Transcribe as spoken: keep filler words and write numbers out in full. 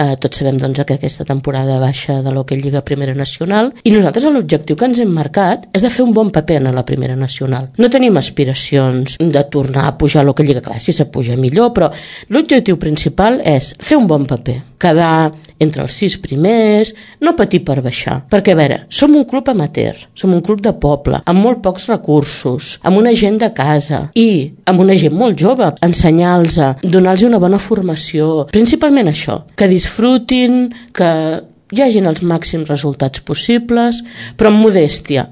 Eh, tots sabem doncs, que aquesta temporada baixa de l'Hockey Lliga Primera Nacional, i nosaltres l'objectiu que ens hem marcat és de fer un bon paper en la Primera Nacional. No tenim aspiracions de tornar a pujar a l'Hockey Lliga, clar, si se puja millor, però l'objectiu principal és fer un bon paper, quedar entre els sis primers, no patir per baixar, perquè a veure, som un club amateur, som un club de poble, amb molt pocs recursos, amb una gent de casa i amb una gent molt jove, ensenyar-los, donar-los una bona formació, principalment això, que disfrutin, que hi hagin els màxims resultats possibles, però amb modèstia.